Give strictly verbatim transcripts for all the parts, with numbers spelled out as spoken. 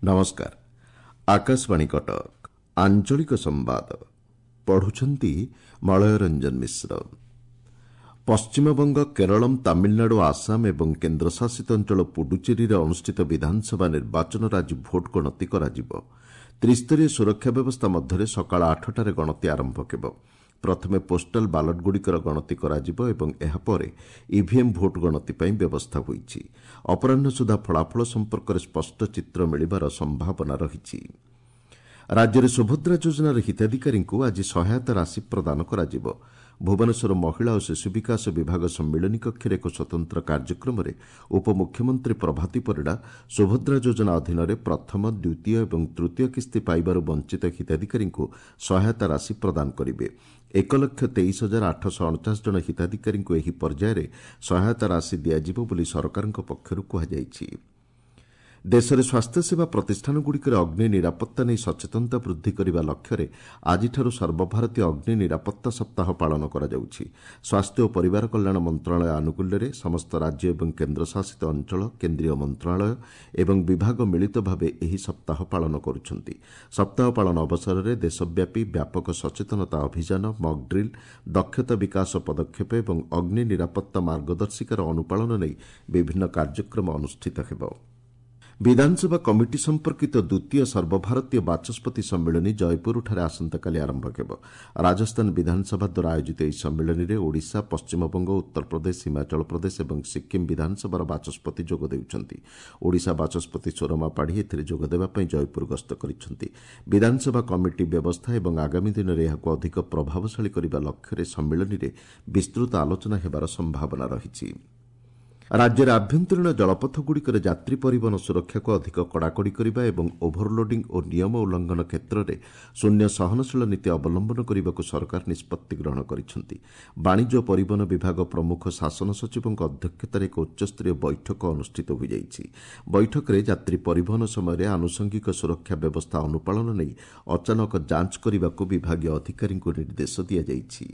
ନମସ୍କାର, ଆକାଶବାଣୀ କଟକ। ଆଞ୍ଚଳିକ ସମ୍ବାଦ ପଢୁଛନ୍ତି ମଳୟ ରଞ୍ଜନ ମିଶ୍ର। ପଶ୍ଚିମବଙ୍ଗ, କେରଳମ୍, ତାମିଲନାଡୁ, ଆସାମ ଏବଂ କେନ୍ଦ୍ରଶାସିତ ଅଞ୍ଚଳ ପୁଡୁଚେରୀରେ ଅନୁଷ୍ଠିତ ବିଧାନସଭା ନିର୍ବାଚନର ଆଜି ଭୋଟ ଗଣତି କରାଯିବ। ତ୍ରିସ୍ତରୀୟ ସୁରକ୍ଷା ବ୍ୟବସ୍ଥା ମଧ୍ୟରେ ସକାଳ ଆଠଟାରେ ଗଣତି ଆରମ୍ଭ ହେବ। ପ୍ରଥମେ ପୋଷ୍ଟାଲ ବାଲଟଗୁଡ଼ିକର ଗଣତି କରାଯିବ ଏବଂ ଏହାପରେ ଇଭିଏମ୍ ଭୋଟ ଗଣତି ପାଇଁ ବ୍ୟବସ୍ଥା ହୋଇଛି। ଅପରାହ୍ନ ସୁଦ୍ଧା ଫଳାଫଳ ସମ୍ପର୍କରେ ସ୍ପଷ୍ଟ ଚିତ୍ର ମିଳିବାର ସମ୍ଭାବନା ରହିଛି। ରାଜ୍ୟରେ ସୁଭଦ୍ରା ଯୋଜନାର ହିତାଧିକାରୀଙ୍କୁ ଆଜି ସହାୟତା ରାଶି ପ୍ରଦାନ କରାଯିବ। ଭୁବନେଶ୍ୱର ମହିଳା ଓ ଶିଶୁ ବିକାଶ ବିଭାଗ ସମ୍ମିଳନୀ କକ୍ଷରେ ଏକ ସ୍ୱତନ୍ତ୍ର କାର୍ଯ୍ୟକ୍ରମରେ ଉପମୁଖ୍ୟମନ୍ତ୍ରୀ ପ୍ରଭାତୀ ପରିଡ଼ା ସୁଭଦ୍ରା ଯୋଜନା ଅଧୀନରେ ପ୍ରଥମ, ଦ୍ୱିତୀୟ ଏବଂ ତୃତୀୟ କିସ୍ତି ପାଇବାରୁ ବଞ୍ଚିତ ହିତାଧିକାରୀଙ୍କୁ ସହାୟତା ରାଶି ପ୍ରଦାନ କରିବେ। ଏକ ଲକ୍ଷ ତେଇଶ ହଜାର ଆଠଶହ ଅଣଚାଶ ଜଣ ହିତାଧିକାରୀଙ୍କୁ ଏହି ପର୍ଯ୍ୟାୟରେ ସହାୟତା ରାଶି ଦିଆଯିବ ବୋଲି ସରକାରଙ୍କ ପକ୍ଷରୁ କୁହାଯାଇଛି। ଦେଶରେ ସ୍ୱାସ୍ଥ୍ୟସେବା ପ୍ରତିଷ୍ଠାନଗୁଡ଼ିକରେ ଅଗ୍ନି ନିରାପତ୍ତା ନେଇ ସଚେତନତା ବୃଦ୍ଧି କରିବା ଲକ୍ଷ୍ୟରେ ଆଜିଠାରୁ ସର୍ବଭାରତୀୟ ଅଗ୍ନି ନିରାପତ୍ତା ସପ୍ତାହ ପାଳନ କରାଯାଉଛି। ସ୍ୱାସ୍ଥ୍ୟ ଓ ପରିବାର କଲ୍ୟାଣ ମନ୍ତ୍ରଣାଳୟ ଆନୁକୂଲ୍ୟରେ ସମସ୍ତ ରାଜ୍ୟ ଏବଂ କେନ୍ଦ୍ରଶାସିତ ଅଞ୍ଚଳ, କେନ୍ଦ୍ରୀୟ ମନ୍ତ୍ରଣାଳୟ ଏବଂ ବିଭାଗ ମିଳିତ ଭାବେ ଏହି ସପ୍ତାହ ପାଳନ କରୁଛନ୍ତି। ସପ୍ତାହ ପାଳନ ଅବସରରେ ଦେଶବ୍ୟାପୀ ବ୍ୟାପକ ସଚେତନତା ଅଭିଯାନ, ମକ୍ ଡ୍ରିଲ୍, ଦକ୍ଷତା ବିକାଶ ପଦକ୍ଷେପ ଏବଂ ଅଗ୍ନି ନିରାପତ୍ତା ମାର୍ଗଦର୍ଶିକାର ଅନୁପାଳନ ନେଇ ବିଭିନ୍ନ କାର୍ଯ୍ୟକ୍ରମ ଅନୁଷ୍ଠିତ ହେବ। ବିଧାନସଭା କମିଟି ସମ୍ପର୍କିତ ଦ୍ୱିତୀୟ ସର୍ବଭାରତୀୟ ବାଚସ୍ପତି ସମ୍ମିଳନୀ ଜୟପୁରଠାରେ ଆସନ୍ତାକାଲି ଆରମ୍ଭ ହେବ। ରାଜସ୍ଥାନ ବିଧାନସଭା ଦ୍ୱାରା ଆୟୋଜିତ ଏହି ସମ୍ମିଳନୀରେ ଓଡ଼ିଶା, ପଶ୍ଚିମବଙ୍ଗ, ଉତ୍ତରପ୍ରଦେଶ, ହିମାଚଳ ପ୍ରଦେଶ ଏବଂ ସିକ୍କିମ୍ ବିଧାନସଭାର ବାଚସ୍ପତି ଯୋଗ ଦେଉଛନ୍ତି। ଓଡ଼ିଶା ବାଚସ୍ପତି ସୁରମା ପାଢ଼ୀ ଏଥିରେ ଯୋଗଦେବା ପାଇଁ ଜୟପୁର ଗସ୍ତ କରିଛନ୍ତି। ବିଧାନସଭା କମିଟି ବ୍ୟବସ୍ଥା ଏବଂ ଆଗାମୀ ଦିନରେ ଏହାକୁ ଅଧିକ ପ୍ରଭାବଶାଳୀ କରିବା ଲକ୍ଷ୍ୟରେ ସମ୍ମିଳନୀରେ ବିସ୍ତୃତ ଆଲୋଚନା ହେବାର ସମ୍ଭାବନା ରହିଛି। ରାଜ୍ୟରେ ଆଭ୍ୟନ୍ତରୀଣ ଜଳପଥଗୁଡ଼ିକରେ ଯାତ୍ରୀ ପରିବହନ ସୁରକ୍ଷାକୁ ଅଧିକ କଡ଼ାକଡ଼ି କରିବା ଏବଂ ଓଭରଲୋଡିଂ ଓ ନିୟମ ଉଲ୍ଲଂଘନ କ୍ଷେତ୍ରରେ ଶୂନ୍ୟ ସହନଶୀଳ ନୀତି ଅବଲମ୍ବନ କରିବାକୁ ସରକାର ନିଷ୍ପତ୍ତି ଗ୍ରହଣ କରିଛନ୍ତି। ବାଣିଜ୍ୟ ଓ ପରିବହନ ବିଭାଗ ପ୍ରମୁଖ ଶାସନ ସଚିବଙ୍କ ଅଧ୍ୟକ୍ଷତାରେ ଏକ ଉଚ୍ଚସ୍ତରୀୟ ବୈଠକ ଅନୁଷ୍ଠିତ ହୋଇଯାଇଛି। ବୈଠକରେ ଯାତ୍ରୀ ପରିବହନ ସମୟରେ ଆନୁଷଙ୍ଗିକ ସୁରକ୍ଷା ବ୍ୟବସ୍ଥା ଅନୁପାଳନ ନେଇ ଅଚାନକ ଯାଞ୍ଚ କରିବାକୁ ବିଭାଗୀୟ ଅଧିକାରୀଙ୍କୁ ନିର୍ଦ୍ଦେଶ ଦିଆଯାଇଛି।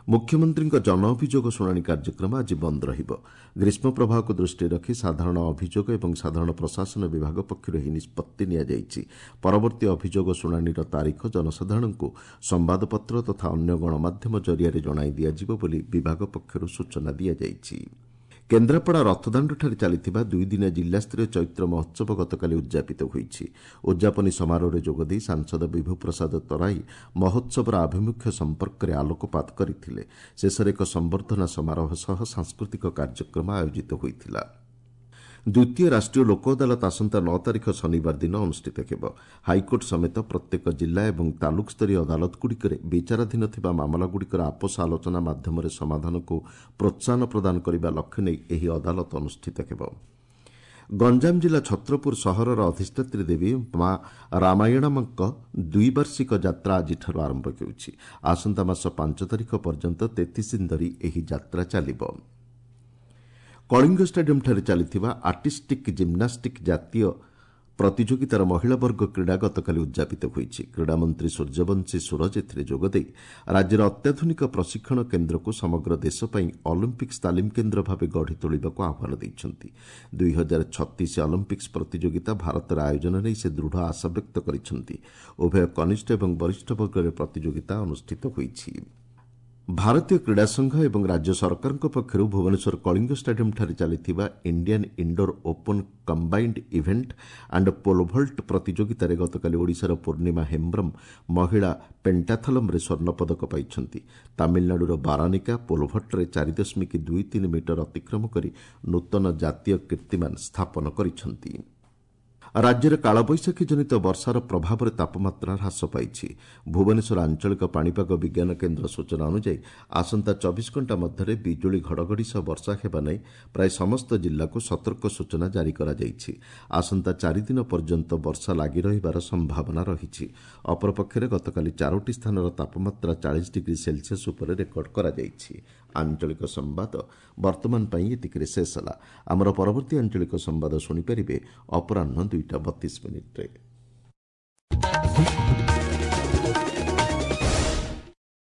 ମୁଖ୍ୟମନ୍ତ୍ରୀଙ୍କ ଜନ ଅଭିଯୋଗ ଶୁଣାଣି କାର୍ଯ୍ୟକ୍ରମ ଆଜି ବନ୍ଦ ରହିବ। ଗ୍ରୀଷ୍ମ ପ୍ରବାହକୁ ଦୃଷ୍ଟିରେ ରଖି ସାଧାରଣ ଅଭିଯୋଗ ଏବଂ ସାଧାରଣ ପ୍ରଶାସନ ବିଭାଗ ପକ୍ଷରୁ ଏହି ନିଷ୍ପତ୍ତି ନିଆଯାଇଛି। ପରବର୍ତ୍ତୀ ଅଭିଯୋଗ ଶୁଣାଣିର ତାରିଖ ଜନସାଧାରଣଙ୍କୁ ସମ୍ବାଦପତ୍ର ତଥା ଅନ୍ୟ ଗଣମାଧ୍ୟମ ଜରିଆରେ ଜଣାଇ ଦିଆଯିବ ବୋଲି ବିଭାଗ ପକ୍ଷରୁ ସୂଚନା ଦିଆଯାଇଛି। କେନ୍ଦ୍ରାପଡ଼ା ରଥଦାଣ୍ଡଠାରେ ଚାଲିଥିବା ଦୁଇଦିନିଆ ଜିଲ୍ଲାସ୍ତରୀୟ ଚୈତ୍ର ମହୋତ୍ସବ ଗତକାଲି ଉଦ୍ଯାପିତ ହୋଇଛି। ଉଦ୍ଯାପନୀ ସମାରୋହରେ ଯୋଗଦେଇ ସାଂସଦ ବିଭୁପ୍ରସାଦ ତରାଇ ମହୋତ୍ସବର ଆଭିମୁଖ୍ୟ ସମ୍ପର୍କରେ ଆଲୋକପାତ କରିଥିଲେ। ଶେଷରେ ଏକ ସମ୍ବର୍ଦ୍ଧନା ସମାରୋହ ସହ ସାଂସ୍କୃତିକ କାର୍ଯ୍ୟକ୍ରମ ଆୟୋଜିତ ହୋଇଥିଲା। ଦ୍ୱିତୀୟ ରାଷ୍ଟ୍ରୀୟ ଲୋକ ଅଦାଲତ ଆସନ୍ତା ନଅ ତାରିଖ ଶନିବାର ଦିନ ଅନୁଷ୍ଠିତ ହେବ। ହାଇକୋର୍ଟ ସମେତ ପ୍ରତ୍ୟେକ ଜିଲ୍ଲା ଏବଂ ତାଲୁକ ସ୍ତରୀୟ ଅଦାଲତଗୁଡ଼ିକରେ ବିଚାରାଧୀନ ଥିବା ମାମଲାଗୁଡ଼ିକର ଆପୋଷ ଆଲୋଚନା ମାଧ୍ୟମରେ ସମାଧାନକୁ ପ୍ରୋତ୍ସାହନ ପ୍ରଦାନ କରିବା ଲକ୍ଷ୍ୟ ନେଇ ଏହି ଅଦାଲତ ଅନୁଷ୍ଠିତ ହେବ। ଗଞ୍ଜାମ ଜିଲ୍ଲା ଛତ୍ରପୁର ସହରର ଅଧିଷ୍ଠାତ୍ରୀ ଦେବୀ ମା ରାମାୟଣମଙ୍କ ଦ୍ୱିବାର୍ଷିକ ଯାତ୍ରା ଆଜିଠାରୁ ଆରମ୍ଭ ହେଉଛି। ଆସନ୍ତା ମାସ ପାଞ୍ଚ ତାରିଖ ପର୍ଯ୍ୟନ୍ତ ତେତିଶ ଦିନ ଧରି ଏହି ଯାତ୍ରା ଚାଲିବ। କଳିଙ୍ଗ ଷ୍ଟାଡିୟମ୍ଠାରେ ଚାଲିଥିବା ଆର୍ଟିଷ୍ଟିକ୍ ଜିମ୍ନାଷ୍ଟିକ୍ ଜାତୀୟ ପ୍ରତିଯୋଗିତାର ମହିଳା ବର୍ଗ କ୍ରୀଡ଼ା ଗତକାଲି ଉଦ୍ଯାପିତ ହୋଇଛି। କ୍ରୀଡ଼ାମନ୍ତ୍ରୀ ସୂର୍ଯ୍ୟବଂଶୀ ସୂରଜ ଏଥିରେ ଯୋଗଦେଇ ରାଜ୍ୟର ଅତ୍ୟାଧୁନିକ ପ୍ରଶିକ୍ଷଣ କେନ୍ଦ୍ରକୁ ସମଗ୍ର ଦେଶ ପାଇଁ ଅଲିମ୍ପିକ୍ସ ତାଲିମ କେନ୍ଦ୍ର ଭାବେ ଗଢ଼ି ତୋଳିବାକୁ ଆହ୍ୱାନ ଦେଇଛନ୍ତି। ଦୁଇ ହଜାର ଛତିଶ ଅଲିମ୍ପିକ୍ସ ପ୍ରତିଯୋଗିତା ଭାରତରେ ଆୟୋଜନ ନେଇ ସେ ଦୃଢ଼ ଆଶା ବ୍ୟକ୍ତ କରିଛନ୍ତି। ଉଭୟ କନିଷ୍ଠ ଏବଂ ବରିଷ୍ଠ ବର୍ଗରେ ପ୍ରତିଯୋଗିତା ଅନୁଷ୍ଠିତ ହୋଇଛି। ଭାରତୀୟ କ୍ରୀଡ଼ା ସଂଘ ଏବଂ ରାଜ୍ୟ ସରକାରଙ୍କ ପକ୍ଷରୁ ଭୁବନେଶ୍ୱର କଳିଙ୍ଗ ଷ୍ଟାଡିୟମ୍ଠାରେ ଚାଲିଥିବା Indian indoor open combined event and pole vault ପ୍ରତିଯୋଗିତାରେ ଗତକାଲି ଓଡ଼ିଶାର ପୂର୍ଣ୍ଣିମା ହେମ୍ବ୍ରମ୍ ମହିଳା ପେଣ୍ଟାଥଲମ୍ରେ ସ୍ୱର୍ଣ୍ଣପଦକ ପାଇଛନ୍ତି। ତାମିଲନାଡୁର ବାରାନିକା ପୋଲଭଲ୍ଟରେ ଚାରି ଦଶମିକ ଦୁଇ ତିନି ମିଟର ଅତିକ୍ରମ କରି ନୂତନ ଜାତୀୟ କୀର୍ତ୍ତିମାନ ସ୍ଥାପନ କରିଛନ୍ତି। ରାଜ୍ୟରେ କାଳବୈଶାଖୀ ଜନିତ ବର୍ଷାର ପ୍ରଭାବରେ ତାପମାତ୍ରା ହ୍ରାସ ପାଇଛି। ଭୁବନେଶ୍ୱର ଆଞ୍ଚଳିକ ପାଣିପାଗ ବିଜ୍ଞାନ କେନ୍ଦ୍ର ସୂଚନା ଅନୁଯାୟୀ ଆସନ୍ତା ଚବିଶ ଘଣ୍ଟା ମଧ୍ୟରେ ବିଜୁଳି ଘଡ଼ଘଡ଼ି ସହ ବର୍ଷା ହେବା ନେଇ ପ୍ରାୟ ସମସ୍ତ ଜିଲ୍ଲାକୁ ସତର୍କ ସୂଚନା ଜାରି କରାଯାଇଛି। ଆସନ୍ତା ଚାରିଦିନ ପର୍ଯ୍ୟନ୍ତ ବର୍ଷା ଲାଗି ରହିବାର ସମ୍ଭାବନା ରହିଛି। ଅପରପକ୍ଷରେ ଗତକାଲି ଚାରୋଟି ସ୍ଥାନର ତାପମାତ୍ରା ଚାଳିଶ ଡିଗ୍ରୀ ସେଲସିୟସ୍ ଉପରେ ରେକର୍ଡ କରାଯାଇଛି। ଆଞ୍ଚଳିକ ସମ୍ବାଦ ବର୍ତ୍ତମାନ ପାଇଁ ଏତିକିରେ ଶେଷ ହେଲା। ଆମର ପରବର୍ତ୍ତୀ ଆଞ୍ଚଳିକ ସମ୍ବାଦ ଶୁଣିପାରିବେ ଅପରାହ୍ନ ଦୁଇଟା ବତିଶ ମିନିଟ୍ରେ।